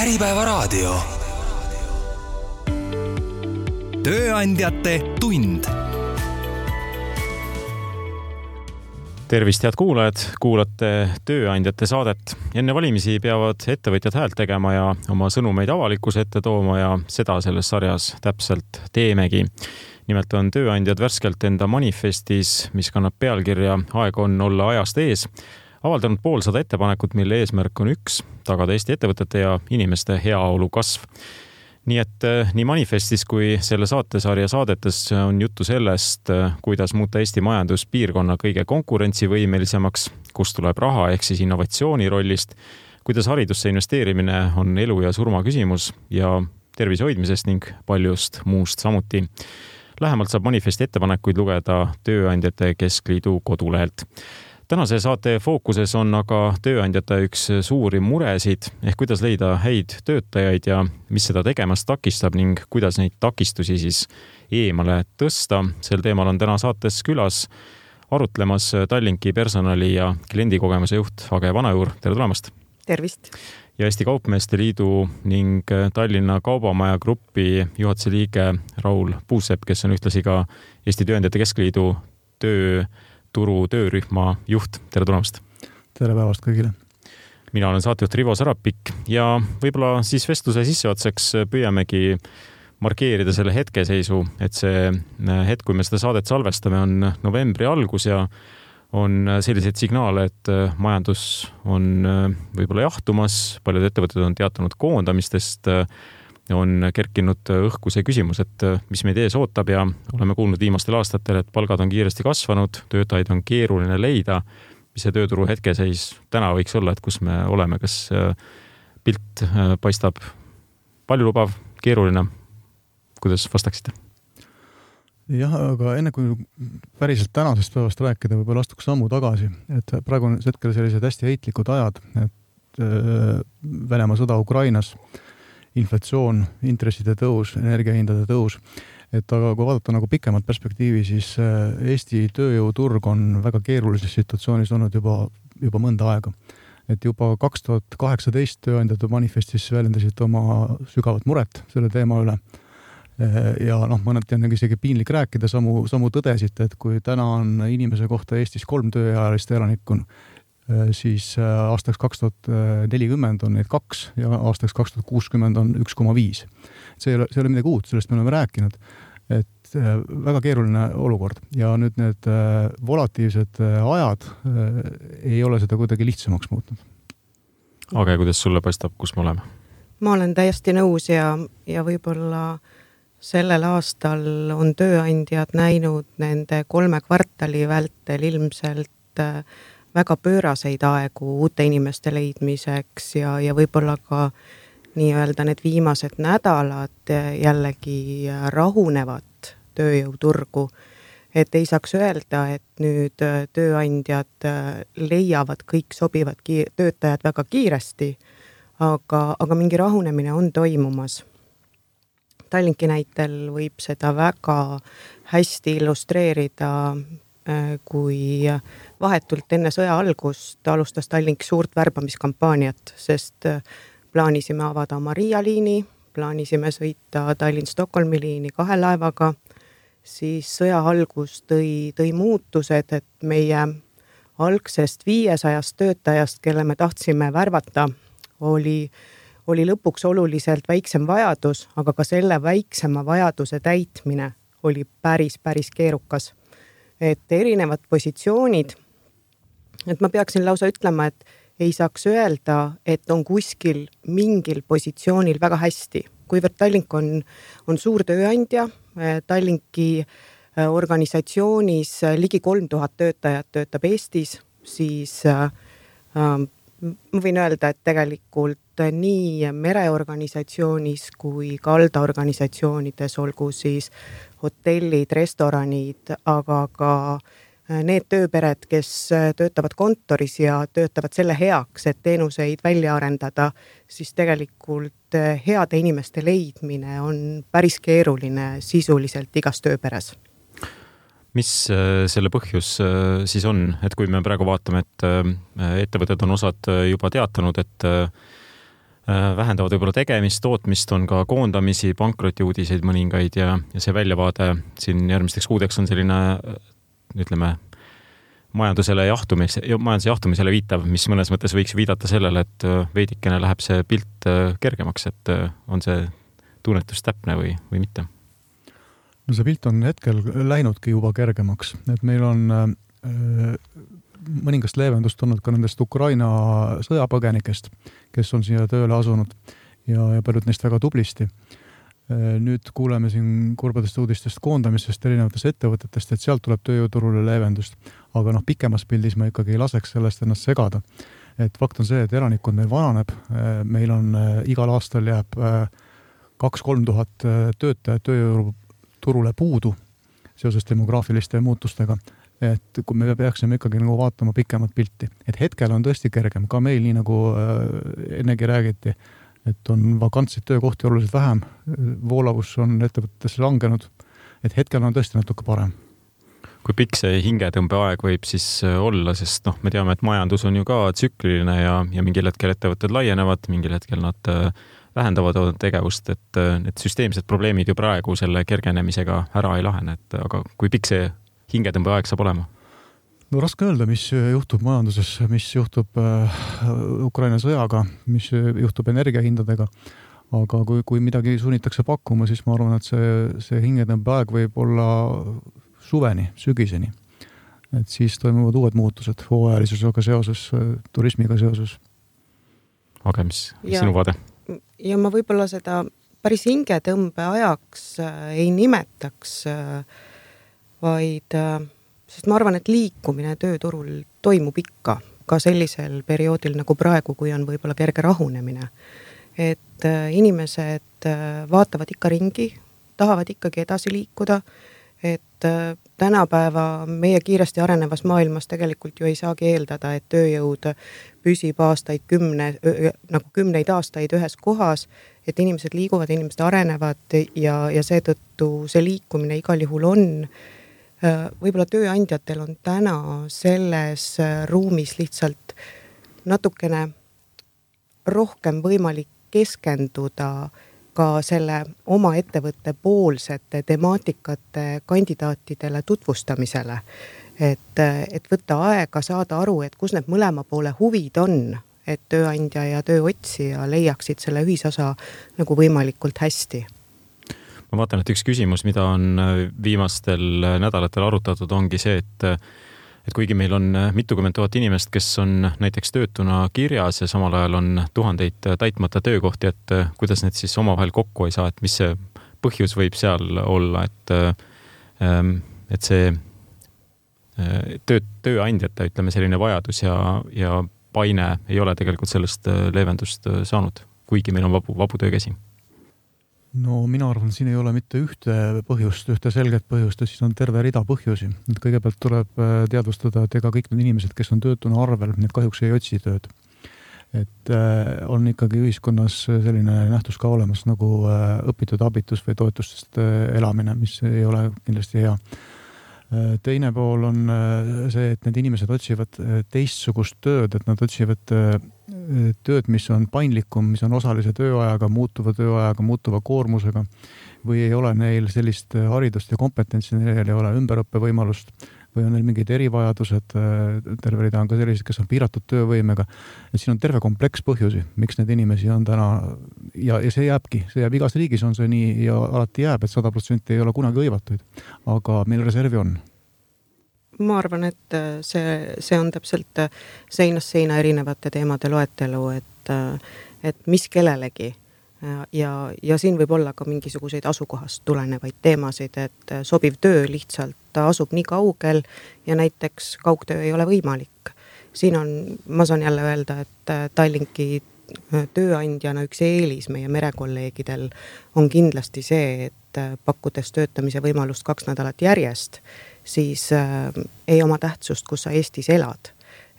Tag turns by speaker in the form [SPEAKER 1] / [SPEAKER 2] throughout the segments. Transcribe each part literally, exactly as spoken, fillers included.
[SPEAKER 1] Äripäevaraadio. Tööandjate tund. Tervist, head kuulajad, kuulate Tööandjate saadet. Enne valimisi peavad ettevõtjad häält tegema ja oma sõnumeid avalikkuse ette tooma ja seda selles sarjas täpselt teemegi. Nimelt on tööandjad värskelt enda manifestis, mis kannab pealkirja Aeg on olla ajast ees, avaldanud poolsada ettepanekut, mille eesmärk on üks, tagada Eesti ettevõtete ja inimeste heaolu kasv. Nii et nii manifestis kui selle saatesarja saadetes on juttu sellest, kuidas muuta Eesti majanduspiirkonna kõige konkurentsivõimelisemaks, kust tuleb raha ehk siis innovatsiooni rollist, kuidas haridusse investeerimine on elu ja surma küsimus ja tervise hoidmisest ning paljust muust samuti. Lähemalt saab manifesti ettepanekuid lugeda Tööandjate Keskliidu kodulehelt. Tänase saate fookuses on aga tööandjate üks suuri muresid, ehk kuidas leida häid töötajaid ja mis seda tegemast takistab ning kuidas neid takistusi siis eemale tõsta. Sel teemal on täna saates külas arutlemas Tallinki personali- ja kliendikogemuse juht Age Vanajuur. Tere tulemast!
[SPEAKER 2] Tervist! Ja Eesti Kaupmeeste Liidu ning Tallinna Kaubamaja Gruppi juhatuse liige Raul Puusepp, kes on ühtlasi ka Eesti Tööandjate Keskliidu töö turu töörühma juht. Tere tulemast!
[SPEAKER 3] Tere päevast kõigile!
[SPEAKER 2] Mina olen saatejuht Rivo Sarapik ja võib-olla siis vestluse sisseotsaks püüamegi markeerida selle hetkeseisu, et see hetk, kui me seda saadet salvestame, on novembri algus ja on selliseid signaale, et majandus on võib-olla jahtumas, paljud ettevõtted on teatanud koondamistest, on kerkinud õhku see küsimus, et mis meid ees ootab ja oleme kuulnud viimastel aastatel, et palgad on kiiresti kasvanud, töötajaid on keeruline leida. Mis see tööturu hetkeseis täna võiks olla, et kus me oleme, kas pilt paistab paljulubav, keeruline? Kuidas vastaksite?
[SPEAKER 3] Jah, aga enne kui päriselt tänasest päevast rääkida, võib-olla astuks sammu tagasi, et praegu on hetkel sellised hästi heitlikud ajad, et Venemaa sõda Ukrainas, inflatsioon, intresside tõus, energiahindade tõus. Et aga kui vaadata nagu pikemat perspektiivi, siis Eesti tööjõuturg on väga keerulises situatsioonis olnud juba, juba mõnda aega. Et juba kaks tuhat kaheksateist tööandjate manifestis väljendasid oma sügavat muret selle teema üle. Ja noh, mõneti on isegi piinlik rääkida, samu, samu tõdesid, et kui täna on inimese kohta Eestis kolm tööealist elanikku, siis aastaks kaks tuhat nelikümmend on neid kaks ja aastaks kaks tuhat kuuskümmend on üks koma viis. See ei ole, see ei ole midagi uut, sellest me oleme rääkinud, et väga keeruline olukord ja nüüd need volatiivsed ajad ei ole seda kuidagi lihtsamaks muutnud.
[SPEAKER 2] Age, kuidas sulle paistab, kus me oleme?
[SPEAKER 4] Ma olen täiesti nõus ja, ja võib-olla sellel aastal on tööandjad näinud nende kolme kvartali vältel ilmselt väga pööraseid aegu uute inimeste leidmiseks ja, ja võib-olla ka nii-öelda need viimased nädalad jällegi rahunevat tööjõuturgu. Et ei saaks öelda, et nüüd tööandjad leiavad kõik sobivad ki- töötajad väga kiiresti, aga, aga mingi rahunemine on toimumas. Tallinki näitel võib seda väga hästi illustreerida, kui vahetult enne sõja algust alustas Tallink suurt värbamiskampaaniat, sest plaanisime avada oma Riia liini, plaanisime sõita Tallinn-Stockholmi liini kahe laevaga, siis sõja algus tõi, tõi muutused, et meie algsest viiesajast töötajast, kelle me tahtsime värvata, oli, oli lõpuks oluliselt väiksem vajadus, aga ka selle väiksema vajaduse täitmine oli päris, päris keerukas. Et erinevad positsioonid, et ma peaksin lausa ütlema, et ei saaks öelda, et on kuskil mingil positsioonil väga hästi. Kuivõrd Tallink on, on suur tööandja, Tallinki organisatsioonis ligi kolm tuhat töötajat töötab Eestis, siis äh, ma võin öelda, et tegelikult nii mereorganisatsioonis kui kaldaorganisatsioonides, olgu siis hotellid, restoranid, aga ka need tööpered, kes töötavad kontoris ja töötavad selle heaks, et teenuseid välja arendada, siis tegelikult heade inimeste leidmine on päris keeruline sisuliselt igas tööperes.
[SPEAKER 2] Mis selle põhjus siis on, et kui me praegu vaatame, et ettevõtted on osad juba teatanud, et
[SPEAKER 1] vähendavad võib-olla tegemist, tootmist, on ka koondamisi, pankrotiuudiseid mõningaid ja, ja see väljavaade siin järgmisteks kuudeks on selline, ütleme, majandusele jahtumis, majanduse jahtumisele viitav, mis mõnes mõttes võiks viidata sellele, et veidikene läheb see pilt kergemaks, et on see tunnetus täpne või, või mitte?
[SPEAKER 3] No see pilt on hetkel läinudki juba kergemaks, et meil on äh, mõningast leevendust olnud ka nendest Ukraina sõjapõgenikest, kes on siia tööle asunud ja, ja paljud neist väga tublisti. Nüüd kuuleme siin kurbadest uudistest koondamisest erinevatest ettevõtetest, et sealt tuleb tööjõuturule leevendust. Aga noh, pikemas pildis ma ikkagi ei laseks sellest ennast segada. Et fakt on see, et elanikkond meil vananeb. Meil on igal aastal jääb kaks-kolm tuhat töötajat tööjõuturule puudu seoses demograafiliste muutustega. Et kui me peaksime ikkagi nagu vaatama pikemat pilti. Et hetkel on tõesti kergem, ka meil nii nagu ennegi räägiti, et on vakantseid töökohti oluliselt vähem, voolavus on ettevõtetesse langenud, et hetkel on tõesti natuke parem.
[SPEAKER 1] Kui pikk see hingetõmbeaeg võib siis olla, sest noh, me teame, et majandus on ju ka tsükliline ja, ja mingil hetkel ettevõtted laienevad, mingil hetkel nad vähendavad tegevust, et need süsteemsed probleemid ju praegu selle kergenemisega ära ei lahene, et aga kui pikk see hingetõmbeaeg saab olema?
[SPEAKER 3] No raske öelda, mis juhtub majanduses, mis juhtub äh, Ukraina sõjaga, mis juhtub energiahindadega, aga kui, kui midagi sunnitakse pakkuma, siis ma arvan, et see, see hingetõmbeaeg võib olla suveni, sügiseni. Et siis toimuvad uued muutused hooajalisusega seoses, turismiga seoses.
[SPEAKER 1] Aga mis, mis sinu vaade?
[SPEAKER 4] Ja ma võib-olla seda päris hingetõmbeajaks ei nimetaks, vaid sest ma arvan, et liikumine tööturul toimub ikka ka sellisel perioodil nagu praegu, kui on võib-olla kerge rahunemine. Et inimesed vaatavad ikka ringi, tahavad ikkagi edasi liikuda, et tänapäeva meie kiiresti arenevas maailmas tegelikult ju ei saagi eeldada, et tööjõud püsib aastaid kümne, nagu kümneid aastaid ühes kohas, et inimesed liiguvad, inimesed arenevad ja, ja seetõttu see liikumine igal juhul on. Võib-olla tööandjatel on täna selles ruumis lihtsalt natukene rohkem võimalik keskenduda ka selle oma ettevõtte poolsete temaatikate kandidaatidele tutvustamisele. Et, et võtta aega, saada aru, et kus need mõlema poole huvid on, et tööandja ja tööotsija leiaksid selle ühisosa nagu võimalikult hästi.
[SPEAKER 1] Ma vaatan, et üks küsimus, mida on viimastel nädalatel arutatud, ongi see, et, et kuigi meil on mitukümmend tuhat inimest, kes on näiteks töötuna kirjas ja samal ajal on tuhandeid täitmata töökohti, et kuidas need siis omavahel kokku ei saa, et mis see põhjus võib seal olla, et, et see töö, tööandjate, ütleme, selline vajadus ja, ja paine ei ole tegelikult sellest leevendust saanud, kuigi meil on vabu, vabu töökäsi.
[SPEAKER 3] No mina arvan, siin ei ole mitte ühte põhjust, ühte selget põhjust, siis on terve rida põhjusi. Et kõigepealt tuleb teadvustada, et ega kõik need inimesed, kes on töötuna arvel, need kahjuks ei otsi tööd. Et on ikkagi ühiskonnas selline nähtus ka olemas nagu õpitud abitus või toetustest elamine, mis ei ole kindlasti hea. Teine pool on see, et need inimesed otsivad teistsugust tööd, et nad otsivad tööd, mis on paindlikum, mis on osalise tööajaga, muutuva tööajaga, muutuva koormusega või ei ole neil sellist haridust ja kompetentsi, neil ei ole ümberõppe võimalust või on neil mingid erivajadused, terve rida on ka sellised, kes on piiratud töövõimega. Et siin on terve kompleks põhjusi, miks need inimesi on täna ja, ja see jääbki, see jääb igas riigis on see nii ja alati jääb, et sada protsenti ei ole kunagi hõivatuid, aga meil reservi on.
[SPEAKER 4] Ma arvan, et see, see on täpselt seinast seina erinevate teemade loetelu, et, et mis kellelegi ja, ja siin võib olla ka mingisuguseid asukohast tulenevaid teemasid, et sobiv töö lihtsalt asub nii kaugel ja näiteks kaugtöö ei ole võimalik. Siin on, ma saan jälle öelda, et Tallinki tööandjana üks eelis meie merekolleegidel on kindlasti see, et pakkudes töötamise võimalust kaks nädalat järjest, siis äh, ei oma tähtsust, kus sa Eestis elad.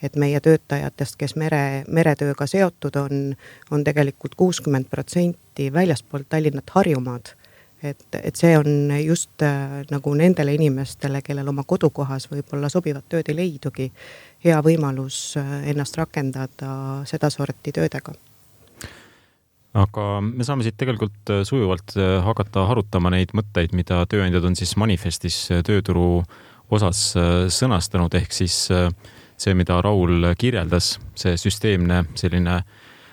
[SPEAKER 4] Et meie töötajatest, kes mere, meretööga seotud on, on tegelikult kuuskümmend protsenti väljaspoolt Tallinnat Harjumaad. Et, et see on just äh, nagu nendele inimestele, kellel oma kodukohas võib-olla sobivat tööd ei leidugi, hea võimalus äh, ennast rakendada seda sorti töödega.
[SPEAKER 1] aga me saame siit tegelikult sujuvalt hakata harutama neid mõtteid, mida tööandjad on siis manifestis tööturu osas sõnastanud, ehk siis see, mida Raul kirjeldas, see süsteemne selline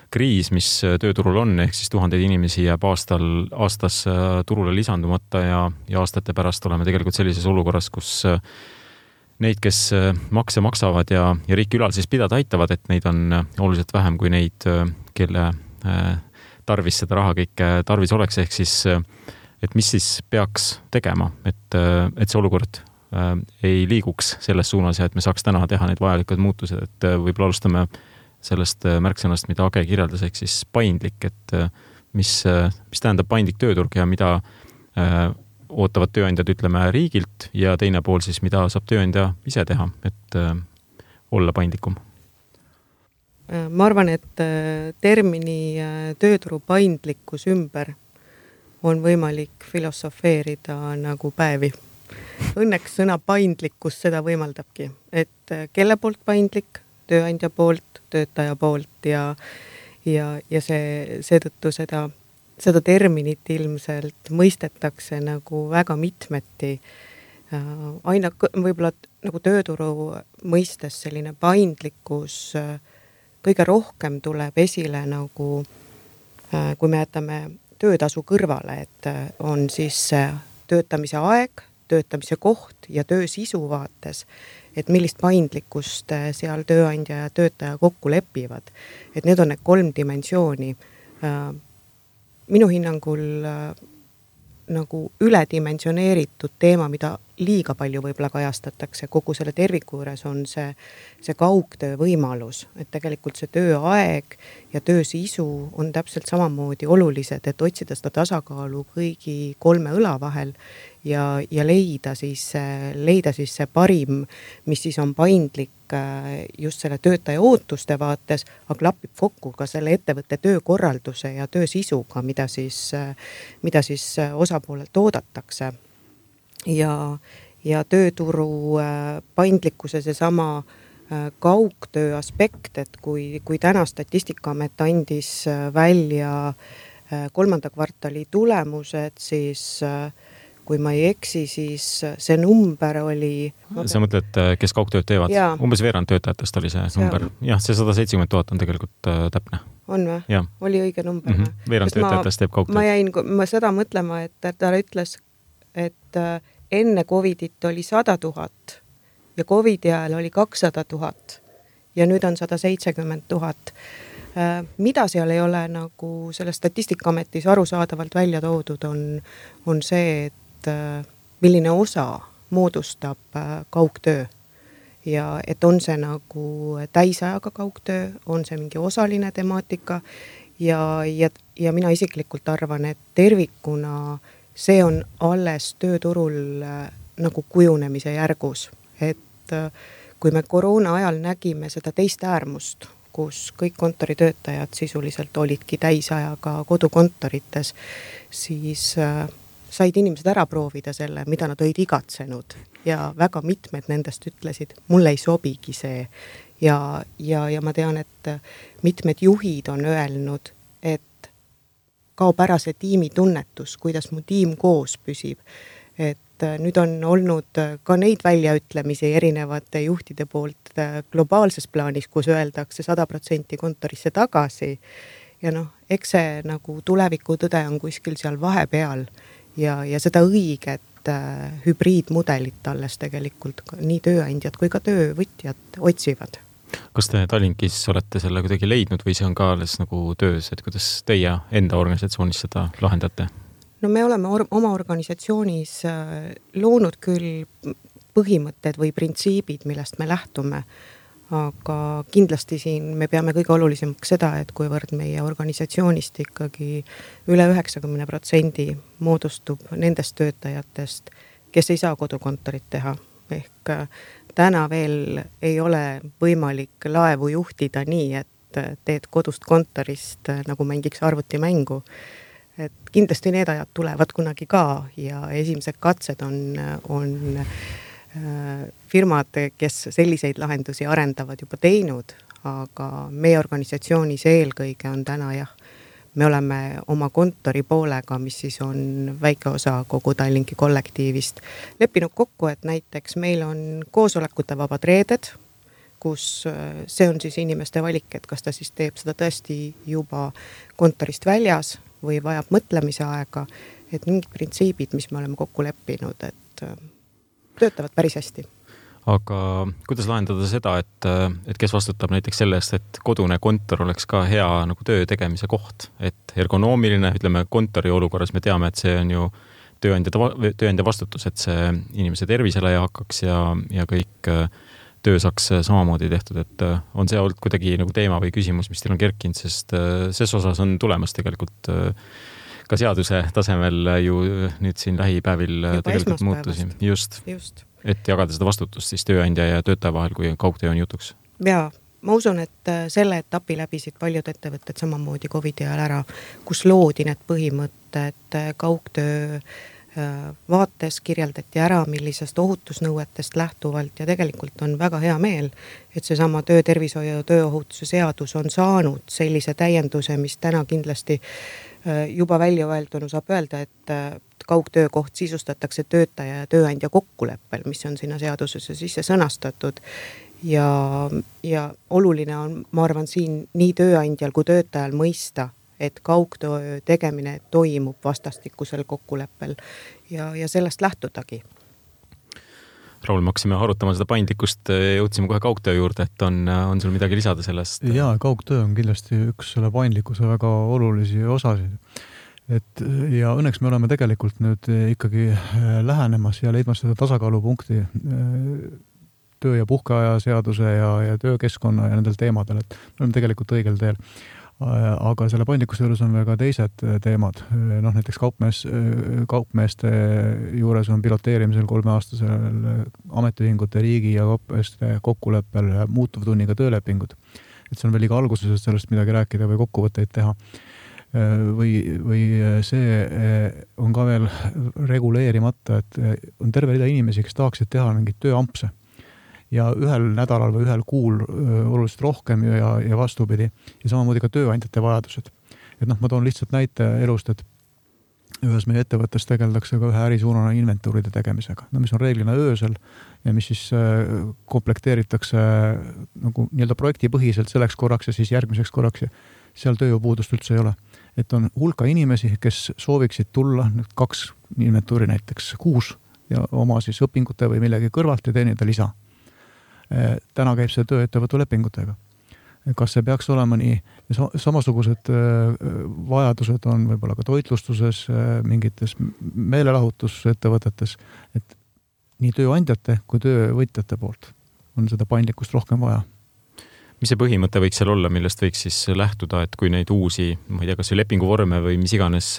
[SPEAKER 1] kriis, mis tööturul on, ehk siis tuhandeid inimesi jääb aastal, aastas turule lisandumata ja, ja aastate pärast oleme tegelikult sellises olukorras, kus neid, kes makse maksavad ja, ja riiki ülal siis pidada aitavad, et neid on oluliselt vähem kui neid, kelle tarvis seda raha kõike tarvis oleks, ehk siis, et mis siis peaks tegema, et, et see olukord ei liiguks selles suunas ja et me saaks täna teha need vajalikud muutused, et võib-olla alustame sellest märksõnast, mida Age kirjeldas, ehk siis paindlik, et mis, mis tähendab paindlik tööturg ja mida ootavad tööandjad, ütleme, riigilt ja teine pool siis, mida saab tööandja ise teha, et olla paindlikum.
[SPEAKER 4] Ma arvan, et termini tööturu paindlikkus ümber on võimalik filosofeerida nagu päevi. Õnneks sõna paindlikkus seda võimaldabki, et kelle poolt paindlik, tööandja poolt, töötaja poolt ja, ja, ja see, seetõttu seda, seda terminit ilmselt mõistetakse nagu väga mitmeti. Aina võib-olla nagu tööturu mõistes selline paindlikkus kõige rohkem tuleb esile nagu, kui me jätame töötasu kõrvale, et on siis töötamise aeg, töötamise koht ja töö sisu vaates, et millist paindlikkust seal tööandja ja töötaja kokku lepivad. Et need on need kolm dimensiooni. Minu hinnangul nagu üledimensioneeritud teema, mida liiga palju võib-olla kajastatakse kogu selle terviku juures, on see, see kaugtöö võimalus, et tegelikult see tööaeg ja töö sisu on täpselt samamoodi olulised, et otsida seda tasakaalu kõigi kolme õla vahel ja, ja leida, siis, leida siis see parim, mis siis on paindlik just selle töötaja ootuste vaates, aga klapib kokku ka selle ettevõtte töökorralduse ja töö sisuga, mida siis, mida siis osapoolelt oodatakse. Ja, ja tööturu paindlikkuse see sama kaugtöö aspekt, et kui, kui täna Statistikaamet andis välja kolmanda kvartali tulemused, siis kui ma ei eksi, siis see number oli...
[SPEAKER 1] Sa mõtled, kes kaugtööd teevad? Ja. Umbes veerand töötajatest oli see number. Ja, see sada seitsekümmend tuhat on tegelikult täpne.
[SPEAKER 4] On või? Ja. Oli õige number.
[SPEAKER 1] Mm -hmm. Veerand töötajatest teeb kaugtööd.
[SPEAKER 4] Ma jäin ma seda mõtlema, et ta ütles, et enne Covidit oli sada tuhat ja Covidi ajal oli kakssada tuhat ja nüüd on sada seitsekümmend tuhat. Mida seal ei ole nagu selle Statistikaametis arusaadavalt välja toodud, on, on see, et milline osa moodustab kaugtöö ja et on see nagu täisajaga kaugtöö, on see mingi osaline temaatika ja, ja, ja mina isiklikult arvan, et tervikuna see on alles tööturul nagu kujunemise järgus, et kui me koroona ajal nägime seda teist äärmust, kus kõik kontoritöötajad sisuliselt olidki täisajaga kodukontorites, siis said inimesed ära proovida selle, mida nad olid igatsenud ja väga mitmed nendest ütlesid, mulle ei sobigi see ja, ja, ja ma tean, et mitmed juhid on öelnud, et kaob ära see tiimi tunnetus, kuidas mu tiim koos püsib, et nüüd on olnud ka neid väljaütlemisi erinevate juhtide poolt globaalses plaanis, kus öeldakse sada protsenti kontorisse tagasi ja noh, eks see nagu tuleviku tõde on kuskil seal vahepeal ja, ja seda õiget äh, hübriidmudelit alles tegelikult nii tööandjad kui ka töövõtjad otsivad.
[SPEAKER 1] Kas te Tallinkis olete selle kuidagi leidnud või see on ka alles nagu töös, et kuidas teie enda organisatsioonis seda lahendate?
[SPEAKER 4] No me oleme or- oma organisatsioonis loonud küll põhimõtted või printsiibid, millest me lähtume, aga kindlasti siin me peame kõige olulisemaks seda, et kuivõrd meie organisatsioonist ikkagi üle üheksakümmend protsendi moodustub nendest töötajatest, kes ei saa kodukontorit teha. Ehk täna veel ei ole võimalik laevu juhtida nii, et teed kodust kontorist nagu mängiks arvutimängu. Et kindlasti need ajad tulevad kunagi ka ja esimesed katsed on, on firmad, kes selliseid lahendusi arendavad juba teinud, aga meie organisatsioonis eelkõige on täna jah, me oleme oma kontori poolega, mis siis on väike osa kogu Tallinki kollektiivist, leppinud kokku, et näiteks meil on koosolekute vabad reeded, kus see on siis inimeste valik, et kas ta siis teeb seda tõesti juba kontorist väljas või vajab mõtlemise aega, et mingid printsiibid, mis me oleme kokku leppinud, et töötavad päris hästi.
[SPEAKER 1] Aga kuidas lahendada seda, et, et kes vastutab näiteks sellest, et kodune kontor oleks ka hea nagu töö tegemise koht, et ergonoomiline, ütleme kontori olukorras me teame, et see on ju tööandja, tööandja vastutus, et see inimese tervisele ei hakkaks ja, ja kõik töö saaks samamoodi tehtud, et on see olnud kuidagi nagu teema või küsimus, mis teil on kerkinud, sest ses osas on tulemas tegelikult ka seaduse tasemel ju nüüd siin lähipäevil juba tegelikult muutusi. Just, Just, et jagada seda vastutust siis tööandja ja töötaja vahel, kui kaugtöö on jutuks.
[SPEAKER 4] Jaa, ma usun, et selle etapi läbisid paljud ettevõtted samamoodi Covidi ajal ära, kus loodi need põhimõtted kaugtöö vaates kirjeldati ära, millisest ohutusnõuetest lähtuvalt ja tegelikult on väga hea meel, et see sama töötervishoiu ja tööohutuse seadus on saanud sellise täienduse, mis täna kindlasti juba välja öeldunu saab öelda, et kaugtöökoht sisustatakse töötaja ja tööandja kokkuleppel, mis on sinna seadusesse sisse sõnastatud ja, ja oluline on, ma arvan, siin nii tööandjal kui töötajal mõista, et kaugtöö tegemine toimub vastastikusel kokkuleppel ja, ja sellest lähtudagi.
[SPEAKER 1] Raul, me hakkasime arutama seda paindlikkust, jõudsime kohe kaugtöö juurde, et on, on sul midagi lisada sellest?
[SPEAKER 3] Jaa, kaugtöö on kindlasti üks selle paindlikkuse väga olulisi osasid. Et, ja õnneks me oleme tegelikult nüüd ikkagi lähenemas ja leidmas seda tasakaalupunkti töö- ja puhkeaja seaduse ja, ja töökeskkonna ja nendel teemadel, et me oleme tegelikult õigel teel. Aga selle paindlikkuse juures on veel ka teised teemad. Noh, näiteks kaupmees, kaupmeeste juures on piloteerimisel kolmeaastasel ametiühingute riigi ja kaupmeeste kokkuleppel muutuvtunniga töölepingud. Et see on veel iga alguses sellest midagi rääkida või kokkuvõtteid teha. Või, või see on ka veel reguleerimata, et on terve rida inimesi, kes tahaksid teha mingit tööampse. Ja ühel nädalal või ühel kuul oluliselt rohkem ja, ja vastupidi. Ja samamoodi ka tööandjate vajadused. Et noh, ma toon lihtsalt näite elust, et ühes meie ettevõttes tegeldakse ka ühe ärisuunana inventuuride tegemisega, no, mis on reeglina öösel ja mis siis komplekteeritakse nagu nii-öelda projektipõhiselt selleks korraks ja siis järgmiseks korraks ja seal tööjõupuudust üldse ei ole. Et on hulka inimesi, kes sooviksid tulla kaks inventuuri näiteks kuus ja oma siis õpingute või millegi kõrvalt ja teenida lisa. Täna käib see tööettevõtu lepingutega. Kas see peaks olema nii? Samasugused vajadused on võib-olla ka toitlustuses, mingites meelelahutusettevõtetes, et nii tööandjate kui töövõtjate poolt on seda paindlikkust rohkem vaja.
[SPEAKER 1] Mis see põhimõte võiks seal olla, millest võiks siis lähtuda, et kui neid uusi, ma ei tea, kas lepinguvorme või mis iganes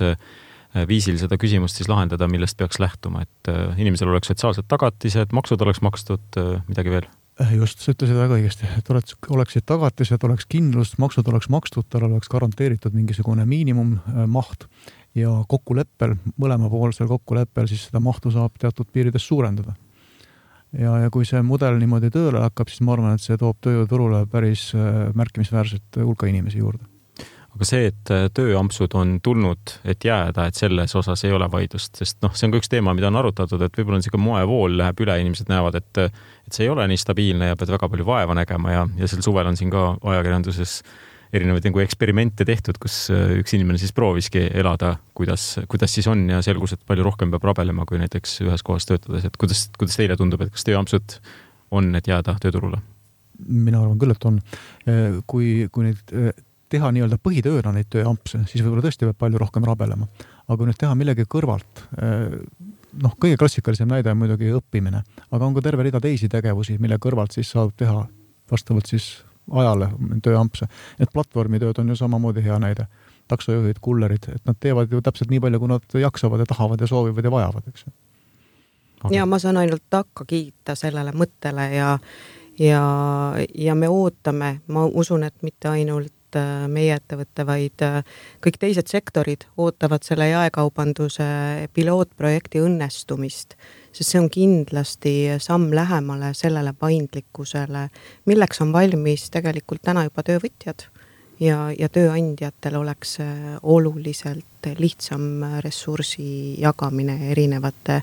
[SPEAKER 1] viisil seda küsimust siis lahendada, millest peaks lähtuma, et inimesel oleks sotsiaalsed tagatised, maksud oleks makstud, midagi veel?
[SPEAKER 3] Just, sa ütlesid väga õigesti, et oleksid tagatised, oleks kindlust, maksud oleks makstud, tal oleks garanteeritud mingisugune miinimummaht ja kokkuleppel, mõlemapoolsel kokkuleppel, siis seda mahtu saab teatud piirides suurendada. Ja, ja kui see mudel niimoodi tööle hakkab, siis ma arvan, et see toob tööjõuturule päris märkimisväärselt hulka inimesi juurde.
[SPEAKER 1] Aga see, et tööampsud on tulnud, et jääda, et selles osas ei ole vaidlust, sest noh, see on ka üks teema, mida on arutatud, et võib-olla on see ka moevool läheb üle, inimesed näevad, et, et see ei ole nii stabiilne ja pead väga palju vaeva nägema ja, ja sel suvel on siin ka ajakirjanduses erinevaid nagu eksperimente tehtud, kus üks inimene siis prooviski elada, kuidas, kuidas siis on ja selgus, et palju rohkem peab rabelema kui näiteks ühes kohas töötades, et kuidas, kuidas teile tundub, et kas tööampsud on, et jääda tööturule?
[SPEAKER 3] Mina arvan küll, et on. Kui, kui neid teha nii-öelda põhitööna neid tööampse, siis võib-olla tõesti peab palju rohkem rabelema. Aga kui nüüd teha millegi kõrvalt, noh, kõige klassikalisem näide on muidugi õppimine, aga on ka terve rida teisi tegevusi, mille kõrvalt siis saab teha vastavalt siis ajale tööampse. Et platvormitööd on ju samamoodi hea näide. Taksojuhid, kullerid, et nad teevad ju täpselt nii palju, kui nad jaksavad ja tahavad ja soovivad ja vajavad, eks.
[SPEAKER 4] Okay. Ja ma saan ainult takka kiita sellele mõttele ja, ja, ja me ootame, ma usun, et mitte ainult meie ettevõtte, vaid kõik teised sektorid ootavad selle jaekaubanduse pilootprojekti õnnestumist, sest see on kindlasti samm lähemale sellele paindlikkusele, milleks on valmis tegelikult täna juba töövõtjad ja, ja tööandjatel oleks oluliselt lihtsam ressursi jagamine erinevate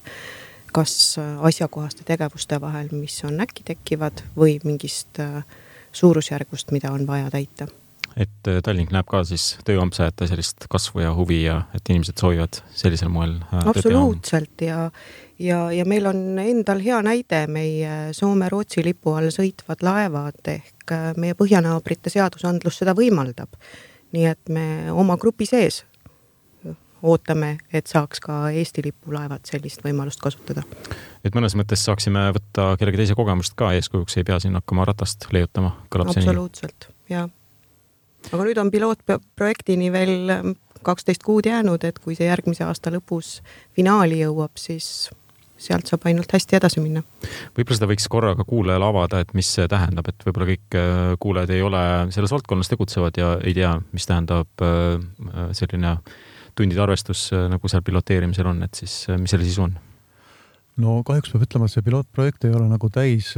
[SPEAKER 4] kas asjakohaste tegevuste vahel, mis on äkki tekkivad või mingist suurusjärgust, mida on vaja täita.
[SPEAKER 1] Et Tallink näeb ka siis tööampsajate sellist kasvu ja huvi ja et inimesed soovivad sellisel moel
[SPEAKER 4] absoluutselt ja, ja, ja meil on endal hea näide meie Soome-Rootsi lipu all sõitvad laevad ehk meie põhjanaabrite seadusandlus seda võimaldab. Nii et me oma grupi sees ootame, et saaks ka Eesti lipulaevad sellist võimalust kasutada.
[SPEAKER 1] Et mõnes mõttes saaksime võtta kellegi teise kogemust ka eeskujuks, ei pea siin hakkama ratast leiutama.
[SPEAKER 4] Absoluutselt, jah. Aga nüüd on pilootprojektini veel kaksteist kuud jäänud, et kui see järgmise aasta lõpus finaali jõuab, siis sealt saab ainult hästi edasi minna.
[SPEAKER 1] Võib-olla seda võiks korraga kuulajale avada, et mis see tähendab, et võib-olla kõik kuulajad ei ole selles valdkonnas tegutsevad ja ei tea, mis tähendab selline tundide arvestus, nagu seal piloteerimisel on, et siis mis selle sisu on?
[SPEAKER 3] No kahjuks peab ütlema, et see pilootprojekt ei ole nagu täis,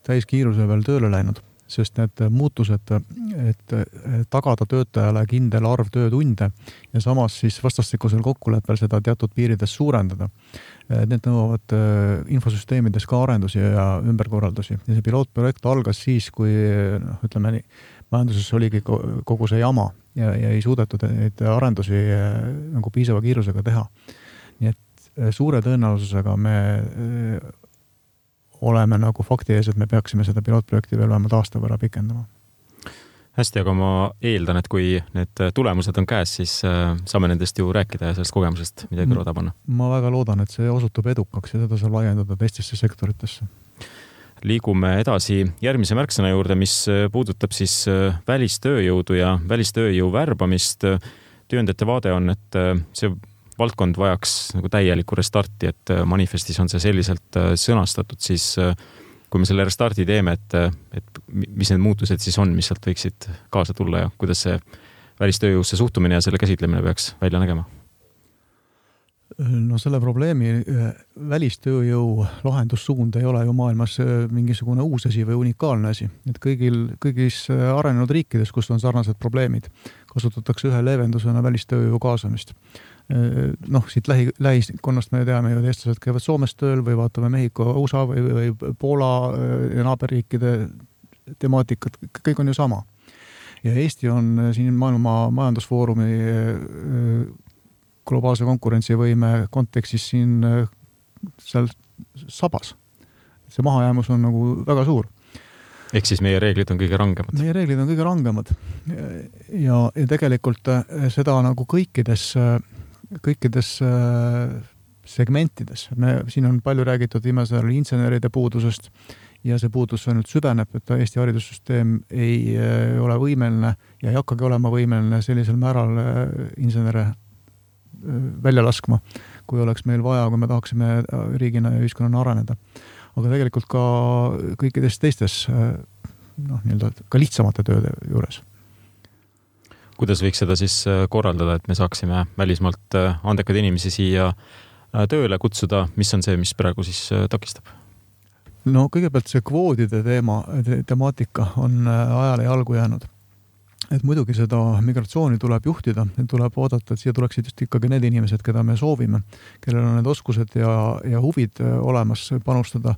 [SPEAKER 3] täis kiiruse veel tööle läinud. Sest need muutused, et tagada töötajale kindel arv töötunde ja samas siis vastastikusel kokkuleppel seda teatud piirides suurendada. Need nõuavad infosüsteemides ka arendusi ja ümberkorraldusi. Ja see pilootprojekt algas siis, kui noh, ütleme nii, majanduses oligi kogu see jama ja, ja ei suudetud neid arendusi nagu piisava kiirusega teha. Nii et suure tõenäosusega me oleme nagu fakti ees, et me peaksime seda pilootprojekti veel vähemalt aasta võrra pikendama.
[SPEAKER 1] Hästi, aga ma eeldan, et kui need tulemused on käes, siis saame nendest ju rääkida ja sellest kogemusest midagi kõrvada panna.
[SPEAKER 3] Ma väga loodan, et see osutub edukaks ja seda saab laiendada teistesse sektoritesse.
[SPEAKER 1] Liigume edasi järgmise märksõna juurde, mis puudutab siis välistööjõudu ja välistööjõu värbamist. Tööandjate vaade on, et see valdkond vajaks nagu täielikku restarti, et manifestis on see selliselt sõnastatud, siis kui me selle restarti teeme, et, et mis need muutused siis on, mis sealt võiksid kaasa tulla ja kuidas see välistööjõusse suhtumine ja selle käsitlemine peaks välja nägema?
[SPEAKER 3] No selle probleemi välistööjõu lahendussuund ei ole ju maailmas mingisugune uus asi või unikaalne asi. Et kõigil, kõigis arenenud riikides, kus on sarnased probleemid, kasutatakse ühe leevendusena välistööjõu kaasamist. Noh, siit lähi, lähiskonnast me teame ju, et eestlased käivad Soomes tööl või vaatame Mehhiko, U S A või, või Poola ja naaberriikide temaatikat, kõik on ju sama. Ja Eesti on siin maailma majandusfoorumi globaalse konkurentsivõime kontekstis siin seal sabas. See mahajäämus on nagu väga suur.
[SPEAKER 1] Ehk siis meie reeglid on kõige rangemad?
[SPEAKER 3] Meie reeglid on kõige rangemad. Ja, ja tegelikult seda nagu kõikides kõikides segmentides. Me, siin on palju räägitud viimasel inseneride puudusest ja see puudus nüüd süveneb, et Eesti haridussüsteem ei ole võimeline ja ei hakkagi olema võimeline sellisel määral insenere välja laskma, kui oleks meil vaja, kui me tahaksime riigina ja ühiskonnana areneda. Aga tegelikult ka kõikides teistes noh, nii-öelda ka lihtsamate tööde juures.
[SPEAKER 1] Kuidas võiks seda siis korraldada, et me saaksime välismaalt andekad inimesi siia tööle kutsuda? Mis on see, mis praegu siis takistab?
[SPEAKER 3] No kõigepealt see kvoodide teema, temaatika on ajale jalgu jäänud. Et muidugi seda migratsiooni tuleb juhtida, tuleb oodata, et siia tuleksid just ikkagi need inimesed, keda me soovime, kellel on need oskused ja, ja huvid olemas panustada.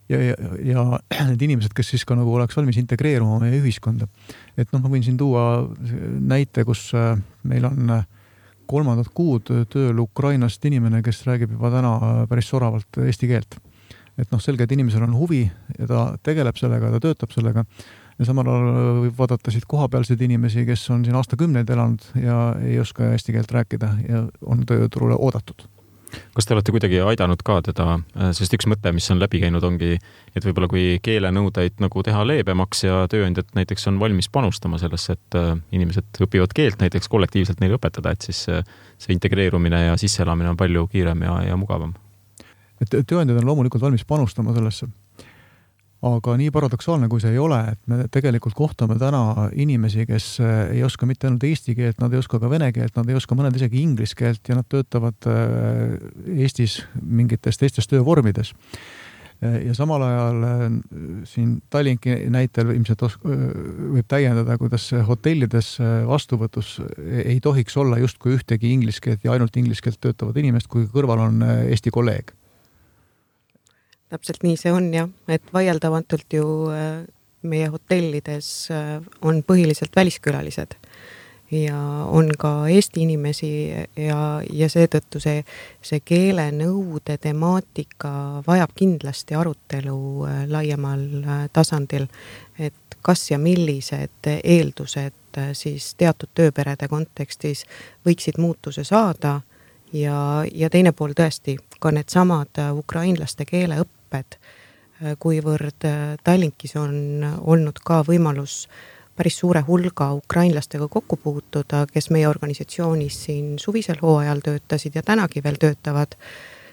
[SPEAKER 3] Ja, ja, ja need inimesed, kes siis ka nagu oleks valmis integreeruma meie ühiskonda. Et noh, ma võin siin tuua näite, kus meil on kolmandat kuud tööl Ukrainast inimene, kes räägib juba täna päris soravalt eesti keelt. Et noh, selge, et inimesel on huvi ja ta tegeleb sellega, ta töötab sellega. Ja samal ajal võib vaadata siit kohapealseid inimesi, kes on siin aastakümneid elanud ja ei oska eesti keelt rääkida ja on tööturule oodatud.
[SPEAKER 1] Kas te olete kuidagi aidanud ka teda, sest üks mõte, mis on läbi käinud, ongi, et võib-olla kui keelenõudeid nagu teha leebemaks ja tööandjad näiteks on valmis panustama sellesse, et inimesed õpivad keelt näiteks kollektiivselt neile õpetada, et siis see integreerumine ja sisseelamine on palju kiirem ja, ja mugavam.
[SPEAKER 3] Et tööandjad on loomulikult valmis panustama sellesse. Aga nii paradoksaalne, kui see ei ole, et me tegelikult kohtame täna inimesi, kes ei oska mitte ainult eesti keelt, nad ei oska ka vene keelt, nad ei oska mõned isegi inglis keelt ja nad töötavad Eestis mingites teistes töövormides. ja samal ajal siin Tallinki näitel ilmselt os- võib täiendada, kuidas hotellides vastuvõtus ei tohiks olla justkui ühtegi inglise keelt ja ainult inglise keelt töötavad inimest, kui kõrval on Eesti kolleeg.
[SPEAKER 4] Täpselt nii see on jah, et vaieldamatult ju meie hotellides on põhiliselt väliskülalised ja on ka Eesti inimesi ja, ja seetõttu see, see keelenõude temaatika vajab kindlasti arutelu laiemal tasandil, et kas ja millised eeldused siis teatud tööperede kontekstis võiksid muutuse saada ja, ja teine pool tõesti ka need samad ukrainlaste keeleõpped, kuivõrd Tallinkis on olnud ka võimalus päris suure hulga ukrainlastega kokku puutuda, kes meie organisatsioonis siin suvisel hooajal töötasid ja tänagi veel töötavad,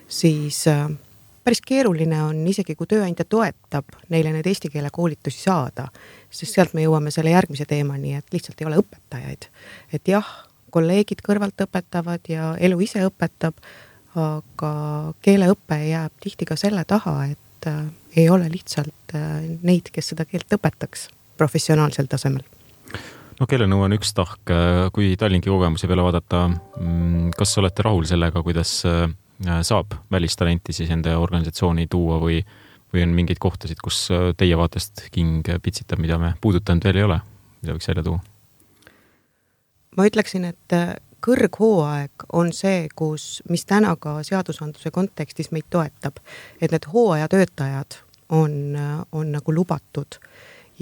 [SPEAKER 4] siis päris keeruline on isegi, kui tööandja toetab neile need eesti keele koolitusi saada, sest sealt me jõuame selle järgmise teemani, et lihtsalt ei ole õpetajaid. Et jah, kolleegid kõrvalt õpetavad ja elu ise õpetab, aga keeleõpe jääb tihti ka selle taha, et ei ole lihtsalt neid, kes seda keelt õpetaks professionaalsel tasemel.
[SPEAKER 1] No keelenõu on üks tahk, kui Tallinki kogemuse peale vaadata, kas olete rahul sellega, kuidas saab välistalenti siis enda organisatsiooni tuua või, või on mingeid kohtasid, kus teie vaatest king pitsitab, mida me puudutanud veel ei ole, mida võiks välja tuua?
[SPEAKER 4] Ma ütleksin, et kõrghooaeg on see, kus, mis täna ka seadusandluse kontekstis meid toetab, et need hooajatöötajad on, on nagu lubatud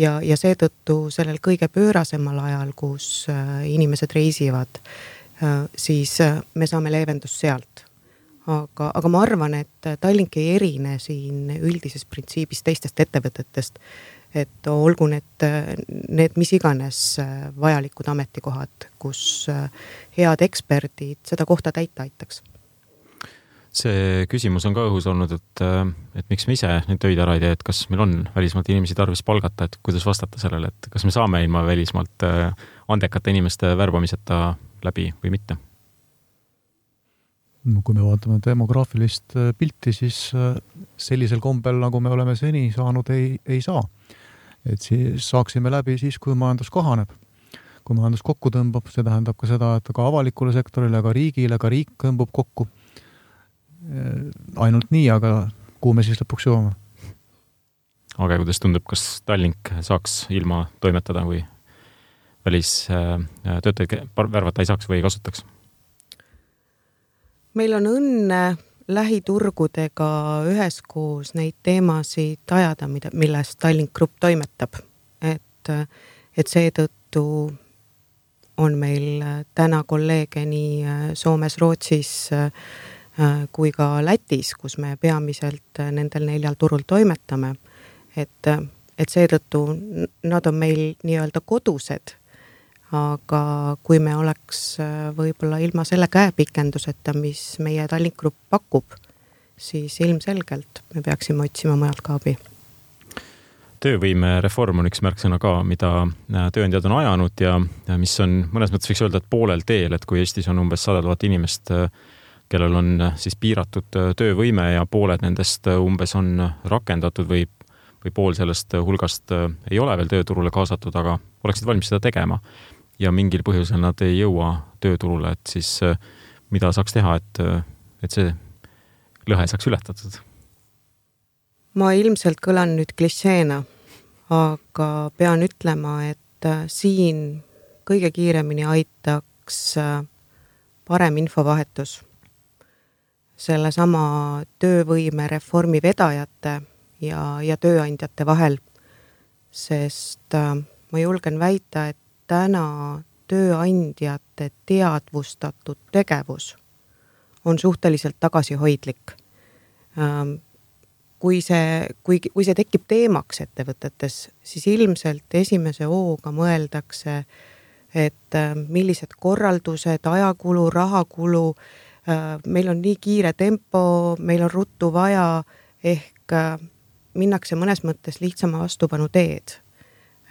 [SPEAKER 4] ja, ja seetõttu sellel kõige pöörasemal ajal, kus inimesed reisivad, siis me saame leevendust sealt. Aga, aga ma arvan, et Tallink ei erine siin üldises printsiibis teistest ettevõtetest, et olgu need, need mis iganes vajalikud ametikohad, kus head eksperdid seda kohta täita aitaks.
[SPEAKER 1] See küsimus on ka õhus olnud, et, et miks me ise neid töid ära ei tee, et kas meil on välismaalt inimesi tarvis palgata, et kuidas vastata sellele, et kas me saame ilma välismaalt andekate inimeste värbamiseta läbi või mitte?
[SPEAKER 3] No, kui me vaatame demograafilist pilti, siis sellisel kombel, nagu me oleme seni saanud, ei, ei saa. Et siis saaksime läbi siis, kui majandus kahaneb. Kui majandus kokku tõmbab, see tähendab ka seda, et ka avalikule sektorile, ka riigile, ka riik tõmbub kokku. Ainult nii, aga kuhu me siis lõpuks jõuame?
[SPEAKER 1] Aga kuidas tundub, kas Tallink saaks ilma toimetada või välistöötajaid värvata ei saaks või ei kasutaks?
[SPEAKER 4] Meil on õnne lähiturgudega üheskoos neid teemasid ajada, milles Tallink Grupp toimetab. Et, et seetõttu on meil täna kolleege nii Soomes, Rootsis kui ka Lätis, kus me peamiselt nendel neljal turul toimetame. Et, et seetõttu nad on meil nii-öelda kodused, aga kui me oleks võib-olla ilma selle käepikenduseta, mis meie Tallink Grupp pakub, siis ilmselgelt me peaksime otsima mujalt ka abi.
[SPEAKER 1] Töövõime reform on üks märksõna ka, mida tööandjad on ajanud ja mis on mõnes mõttes võiks öelda, et poolel teel, et kui Eestis on umbes sada tuhat inimest, kellel on siis piiratud töövõime ja pooled nendest umbes on rakendatud või, või pool sellest hulgast ei ole veel tööturule kaasatud, aga oleksid valmis seda tegema ja mingil põhjusel nad ei jõua tööturule, et siis mida saaks teha, et, et see lõhe saaks ületatud?
[SPEAKER 4] Ma ilmselt kõlan nüüd klišeena, aga pean ütlema, et siin kõige kiiremini aitaks parem infovahetus. Selle sama töövõime reformi vedajate ja, ja tööandjate vahel, sest ma julgen väita, et täna tööandjate teadvustatud tegevus on suhteliselt tagasihoidlik. Kui see, kui, kui see tekib teemaks ettevõtetes, siis ilmselt esimese hooga mõeldakse, et millised korraldused, ajakulu, rahakulu, meil on nii kiire tempo, meil on ruttu vaja, ehk minnakse mõnes mõttes lihtsama vastupanu teed.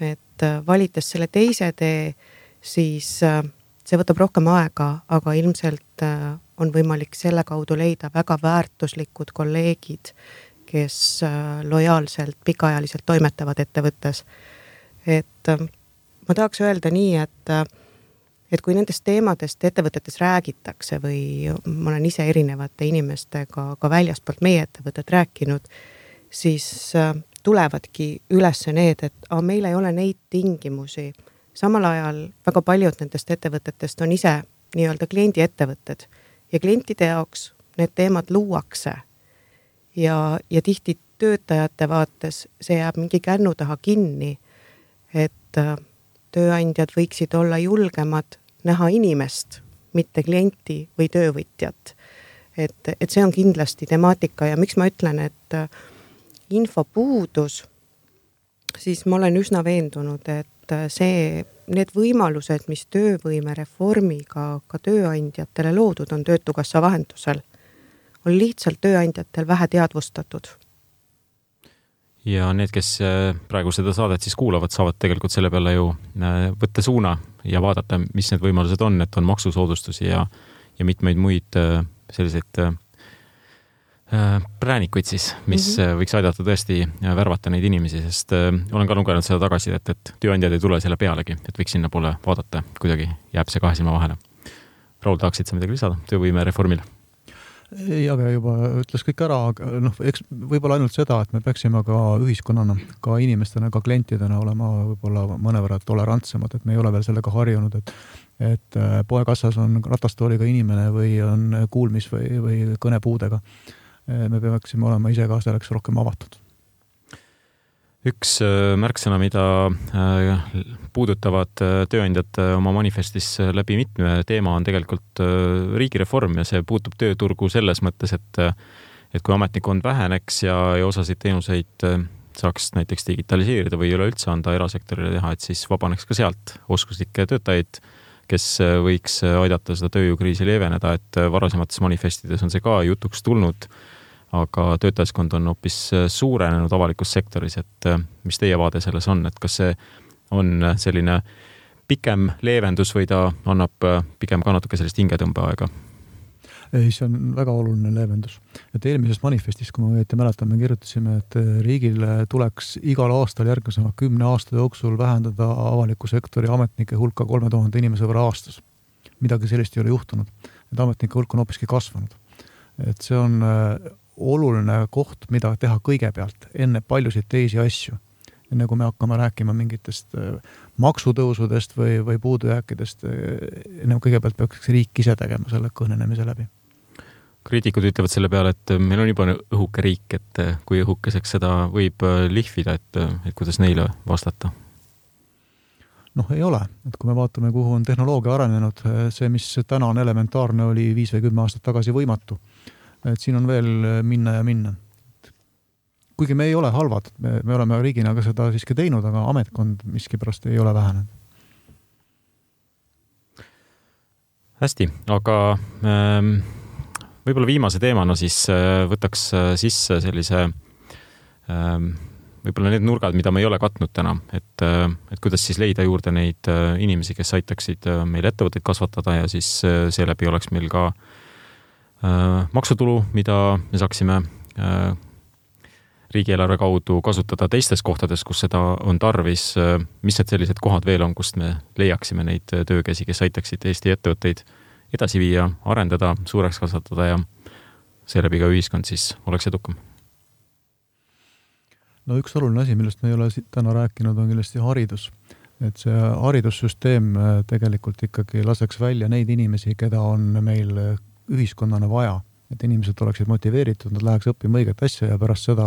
[SPEAKER 4] Et valites selle teise tee, siis see võtab rohkem aega, aga ilmselt on võimalik selle kaudu leida väga väärtuslikud kolleegid, kes lojaalselt pikaajaliselt toimetavad ettevõttes. Et ma tahaks öelda nii, et, et kui nendest teemadest ettevõtetes räägitakse või ma olen ise erinevate inimestega ka väljaspoolt meie ettevõtet rääkinud, siis tulevadki üles need, et a, meil ei ole neid tingimusi. Samal ajal väga paljud nendest ettevõtetest on ise nii-öelda kliendi ettevõtted ja klientide jaoks need teemad luuakse ja, ja tihti töötajate vaates see jääb mingi kännu taha kinni, et tööandjad võiksid olla julgemad näha inimest, mitte klienti või töövõtjat. Et, et see on kindlasti temaatika ja miks ma ütlen, et infopuudus, siis ma olen üsna veendunud, et see, need võimalused, mis töövõime reformiga ka tööandjatele loodud on Töötukassa vahendusel, on lihtsalt tööandjatel vähe teadvustatud.
[SPEAKER 1] Ja need, kes praegu seda saadet siis kuulavad, saavad tegelikult selle peale ju võtta suuna ja vaadata, mis need võimalused on, et on maksusoodustusi ja, ja mitmeid muid selliseid präänikuid siis, mis mm-hmm. võiks aidata tõesti värvata neid inimesi, sest olen ka lugenud seda tagasidet, et tööandjad ei tule selle pealegi, et võiks sinna poole vaadata, kuidagi jääb see kahe silma vahele. Raul, tahaksid sa midagi lisada töövõime reformile?
[SPEAKER 3] Ei, aga juba ütles kõik ära, noh, eks võib-olla ainult seda, et me peaksime ka ühiskonnana, ka inimestena, ka klientidena olema võib-olla mõnevõrra tolerantsemad, et me ei ole veel sellega harjunud, et, et poekassas on ratastooliga inimene või on kuulmis või, või kõnepuudega. Me peaksime olema ise ka selleks rohkem avatud.
[SPEAKER 1] Üks märksõna, mida puudutavad tööandjad oma manifestis läbi mitme teema, on tegelikult riigireform ja see puutub tööturgu selles mõttes, et, et kui ametnikkond väheneks ja, ja osasid teenuseid saaks näiteks digitaliseerida või üleüldse anda erasektorile teha, et siis vabaneks ka sealt oskuslikke töötajaid, kes võiks aidata seda tööjõukriisi leeveneda, et varasemates manifestides on see ka jutuks tulnud, aga töötajaskond on hoopis suurenenud avalikus sektoris, et mis teie vaade selles on, et kas see on selline pikem leevendus või ta annab pigem ka natuke sellist hingetõmbeaega?
[SPEAKER 3] Ei, see on väga oluline leevendus. Et eelmises manifestis, kui ma õieti mäletan, me kirjutasime, et riigil tuleks igal aastal järgmisema kümne aasta jooksul vähendada avaliku sektori ametnike hulka kolme tuhande inimese võrra aastas. Midagi sellist ei ole juhtunud. Et ametnike hulk on hoopiski kasvanud. Et see on oluline koht, mida teha kõigepealt, enne paljusid teisi asju. Enne kui me hakkame rääkima mingitest maksutõusudest või, või puudujääkidest, enne kõigepealt peaks riik ise tegema selle kõnenemise läbi.
[SPEAKER 1] Kriitikud ütlevad selle peale, et meil on juba õhuke riik, et kui õhukeseks seda võib lihvida, et, et kuidas neile vastata?
[SPEAKER 3] Noh, ei ole. Et kui me vaatame, kuhu on tehnoloogia arenenud, see, mis täna on elementaarne, oli viis või kümme aastat tagasi võimatu. Et siin on veel minna ja minna. Kuigi me ei ole halvad, me, me oleme riigina ka seda siiski teinud, aga ametkond miskipärast ei ole vähenenud.
[SPEAKER 1] Hästi, aga ähm, võib-olla viimase teemana siis võtaks sisse sellise ähm, võib-olla need nurgad, mida me ei ole katnud täna, et, et kuidas siis leida juurde neid inimesi, kes aitaksid meil ettevõtteid kasvatada ja siis seeläbi oleks meil ka maksutulu, mida me saaksime riigieelarve kaudu kasutada teistes kohtades, kus seda on tarvis. Mis need sellised kohad veel on, kust me leiaksime neid töökäsi, kes aitaksid Eesti ettevõtteid edasi viia, arendada, suureks kasvatada ja seeläbi ka ühiskond siis oleks edukam?
[SPEAKER 3] No üks oluline asi, millest me ei ole täna rääkinud, on kindlasti haridus. Et see haridussüsteem tegelikult ikkagi laseks välja neid inimesi, keda on meil ühiskonnana vaja, et inimesed oleksid motiveeritud, nad läheks õppima õiget asja ja pärast seda,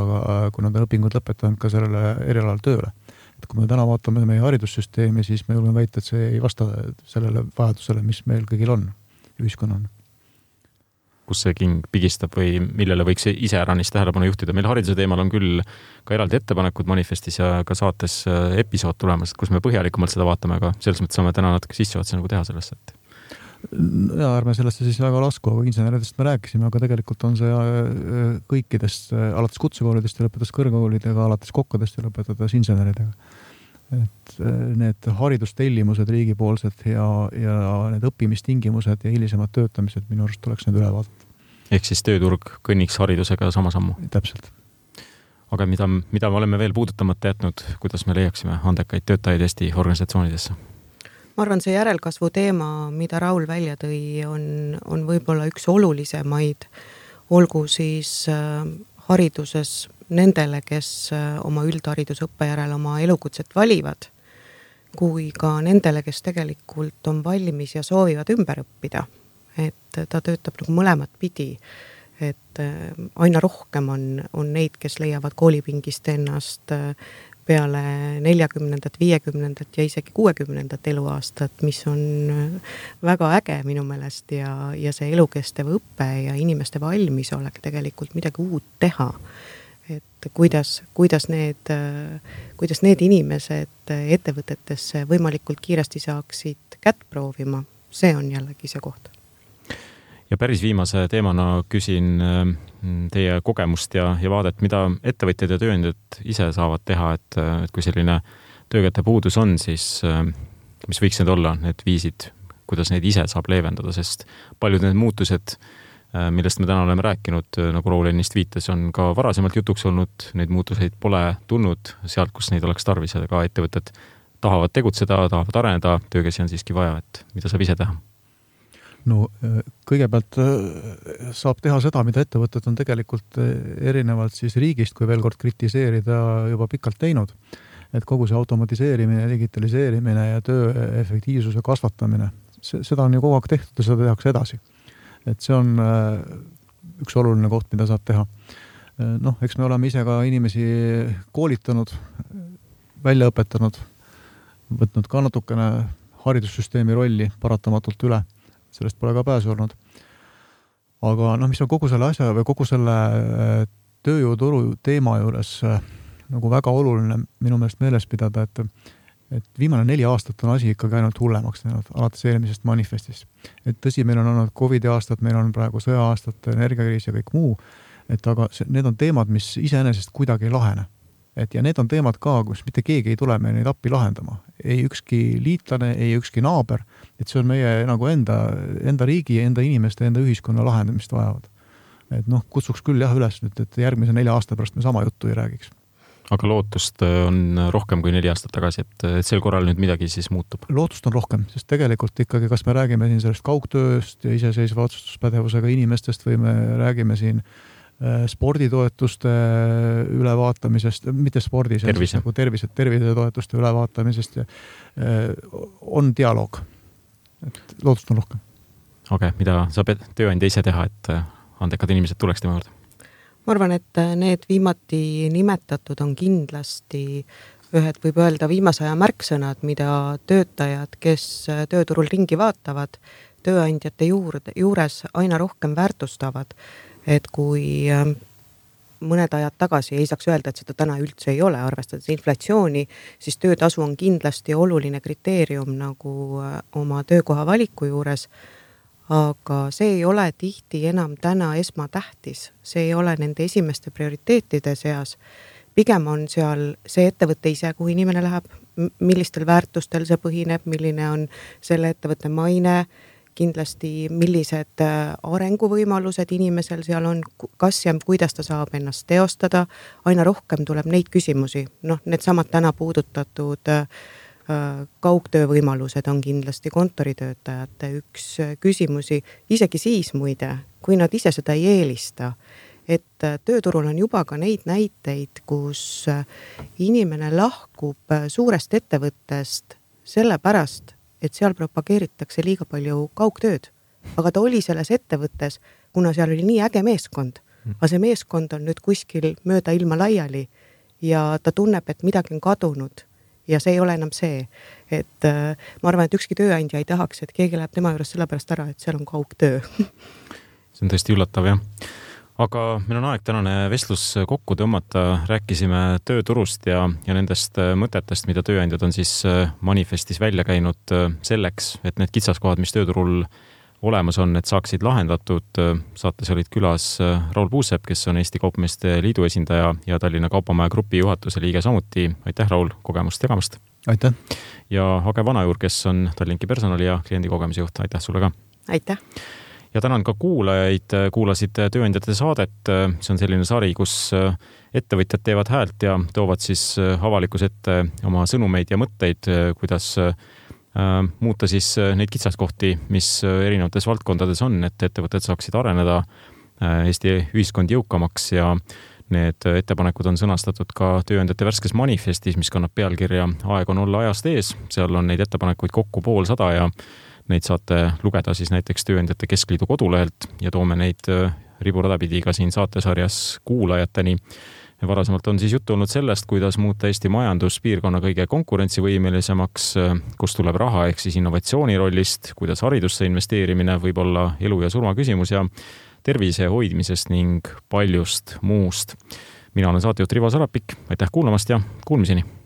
[SPEAKER 3] kui nad on õpingud lõpetanud ka sellele erialal tööle. Et kui me täna vaatame meie haridussüsteemi, siis me julgeme väita, et see ei vasta sellele vajadusele, mis meil kõigil on ühiskonnana.
[SPEAKER 1] Kus see king pigistab või millele võiks ise äranist tähelepanu juhtida. Meil hariduse teemal on küll ka eraldi ettepanekud manifestis ja ka saates episood tulemas, kus me põhjalikumalt seda vaatame, aga selles mõttes saame täna natuke sisseotsa nagu teha sellest, et
[SPEAKER 3] ja ärme sellesse siis väga lasku, aga inseneridest me rääkisime, aga tegelikult on see kõikidest, alates kutsekoolidest ja lõpetas kõrgkoolidega, alates kokkadest ja lõpetades inseneridega. Et need haridustellimused riigipoolsed ja, ja need õppimistingimused ja hilisemad töötamised minu arust tuleks need üle vaadata.
[SPEAKER 1] Ehk siis tööturg kõnniks haridusega sama sammu?
[SPEAKER 3] Täpselt.
[SPEAKER 1] aga mida, mida me oleme veel puudutamata jätnud, kuidas me leiaksime andekaid töötajaid Eesti organisatsioonidesse?
[SPEAKER 4] Ma arvan, see järelkasvu teema, mida Raul välja tõi, on, on võib-olla üks olulisemaid, olgu siis äh, hariduses nendele, kes äh, oma üldharidusõppe järel oma elukutset valivad, kui ka nendele, kes tegelikult on valmis ja soovivad ümber õppida. Et ta töötab nagu mõlemat pidi, et äh, aina rohkem on, on neid, kes leiavad koolipingist ennast äh, peale neljakümnendat, viiekümnendat ja isegi kuuekümnendat eluaastat, mis on väga äge minu meelest ja, ja see elukestev õppe ja inimeste valmisolek tegelikult midagi uut teha. Et kuidas, kuidas, need, kuidas need inimesed ettevõtetesse võimalikult kiiresti saaksid kätt proovima, see on jällegi see koht.
[SPEAKER 1] Ja päris viimase teemana küsin teie kogemust ja, ja vaadet, mida ettevõtjad ja tööandjad ise saavad teha, et, et kui selline töökäte puudus on, siis mis võiks need olla, need viisid, kuidas neid ise saab leevendada, sest paljud need muutused, millest me täna oleme rääkinud, nagu Raul ennist viitas, on ka varasemalt jutuks olnud, neid muutuseid pole tulnud sealt, kus neid oleks tarvis ja ka ettevõtted tahavad tegutseda, tahavad areneda, töökäsi on siiski vaja, et mida saab ise teha?
[SPEAKER 3] No kõigepealt saab teha seda, mida ettevõtted on tegelikult erinevalt siis riigist, kui veel kord kritiseerida juba pikalt teinud, et kogu see automatiseerimine, digitaliseerimine ja töö efektiivsuse kasvatamine, seda on ju kogu aeg tehtud ja seda tehakse edasi. Et see on üks oluline koht, mida saab teha. Noh, eks me oleme ise ka inimesi koolitanud, välja õpetanud, võtnud ka natukene haridussüsteemi rolli paratamatult üle. Sellest pole ka pääsu olnud. Aga noh, mis on kogu selle asja või kogu selle tööjõuturu teema juures nagu väga oluline minu meelest meeles pidada, et, et viimane neli aastat on asi ikkagi ainult hullemaks näinud alates eelmisest manifestist. Et tõsi, meil on olnud COVID aastat, meil on praegu sõja aastat, energiakriis ja kõik muu, et aga see, need on teemad, mis iseenesest kuidagi ei lahene. Et ja need on teemad ka, kus mitte keegi ei tule meil neid appi lahendama. Ei ükski liitlane, ei ükski naaber, et see on meie nagu enda, enda riigi, enda inimeste, enda ühiskonna lahendamist vajavad. Et noh, kutsuks küll jah üles nüüd, et järgmise nelja aasta pärast me sama juttu ei räägiks.
[SPEAKER 1] Aga lootust on rohkem kui neli aastat tagasi, et, et sel korral nüüd midagi siis muutub?
[SPEAKER 3] Lootust on rohkem, sest tegelikult ikkagi, kas me räägime siin sellest kaugtööst ja iseseisva otsustuspädevusega inimestest või me räägime siin sporditoetuste ülevaatamisest, mitte spordi,
[SPEAKER 1] tervise.
[SPEAKER 3] Nagu tervise, tervisetoetuste ülevaatamisest ja on dialoog. Et lootust on rohkem.
[SPEAKER 1] Okei, okay, mida saab tööandja ise teha, et andekad inimesed tuleks tema juurde?
[SPEAKER 4] Ma arvan, et need viimati nimetatud on kindlasti ühed, võib öelda, viimase aja märksõnad, mida töötajad, kes tööturul ringi vaatavad, tööandjate juurde, juures aina rohkem väärtustavad. Et kui mõned ajad tagasi ei saaks öelda, et seda täna üldse ei ole, arvestades inflatsiooni, siis töötasu on kindlasti oluline kriteerium nagu oma töökoha valiku juures, aga see ei ole tihti enam täna esmatähtis. See ei ole nende esimeste prioriteetide seas. Pigem on seal see ettevõte ise, kuhu inimene läheb, millistel väärtustel see põhineb, milline on selle ettevõtte maine, kindlasti millised arenguvõimalused inimesel seal on, kas ja kuidas ta saab ennast teostada, aina rohkem tuleb neid küsimusi. Noh, need samad täna puudutatud kaugtöövõimalused on kindlasti kontoritöötajate üks küsimusi, isegi siis muide, kui nad ise seda ei eelista, et tööturul on juba ka neid näiteid, kus inimene lahkub suurest ettevõttest sellepärast, et seal propageeritakse liiga palju kaugtööd. Aga ta oli selles ettevõttes, kuna seal oli nii äge meeskond, aga see meeskond on nüüd kuskil mööda ilma laiali ja ta tunneb, et midagi on kadunud ja see ei ole enam see. Et äh, ma arvan, et ükski tööandja ei tahaks, et keegi läheb tema juures sellepärast ära, et seal on kaugtöö.
[SPEAKER 1] See on tõesti üllatav, jah. Aga meil on aeg tänane vestlus kokku tõmmata. Rääkisime tööturust ja, ja nendest mõtetest, mida tööandjad on siis manifestis välja käinud selleks, et need kitsaskohad, mis tööturul olemas on, et saaksid lahendatud. Saates olid külas Raul Puusepp, kes on Eesti Kaupmeeste Liidu esindaja ja Tallinna Kaupamaja grupi juhatuse liige samuti. Aitäh, Raul, kogemust tegamast.
[SPEAKER 3] Aitäh.
[SPEAKER 1] Ja Hage Vanajuur, kes on Tallinki personali ja kliendi kogemusjuht. Aitäh sulle ka.
[SPEAKER 4] Aitäh.
[SPEAKER 1] ja tänan ka kuulajaid, kuulasid Tööandjate saadet. See on selline sari, kus ettevõtjad teevad häält ja toovad siis avalikkuse ette oma sõnumeid ja mõtteid, kuidas muuta siis neid kitsaskohti, mis erinevates valdkondades on, et ettevõtted saaksid areneda, Eesti ühiskond jõukamaks ja need ettepanekud on sõnastatud ka Tööandjate värskes manifestis, mis kannab pealkirja Aeg on olla ajast ees. Seal on neid ettepanekuid kokku pool sada ja neid saate lugeda siis näiteks Tööandjate Keskliidu kodulehelt ja toome neid riburada-pidi ka siin saatesarjas kuulajateni. Varasemalt on siis juttu olnud sellest, kuidas muuta Eesti majanduspiirkonna kõige konkurentsivõimelisemaks, kus tuleb raha ehk siis innovatsiooni rollist, kuidas haridusse investeerimine võib olla elu ja surma küsimus ja tervise hoidmisest ning paljust muust. Mina olen saatejuht Rivo Sarapik. Aitäh kuulamast ja kuulmiseni!